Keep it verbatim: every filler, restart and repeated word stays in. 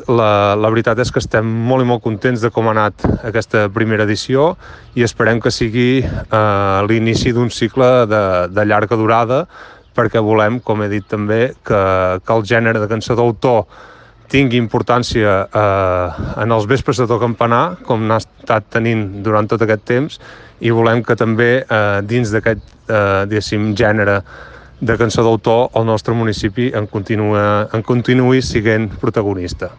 la, la veritat és que estem molt i molt contents de com ha anat aquesta primera edició i esperem que sigui eh, l'inici d'un cicle de, de llarga durada, perquè volem, com he dit també, que, que el gènere de cançó d'autor tingui importància eh, en els vespres de To Campanar, com n'ha estat tenint durant tot aquest temps, i volem que també eh, dins d'aquest eh, diguéssim, gènere de cançó d'autor el nostre municipi en, continua, en continuï sent protagonista.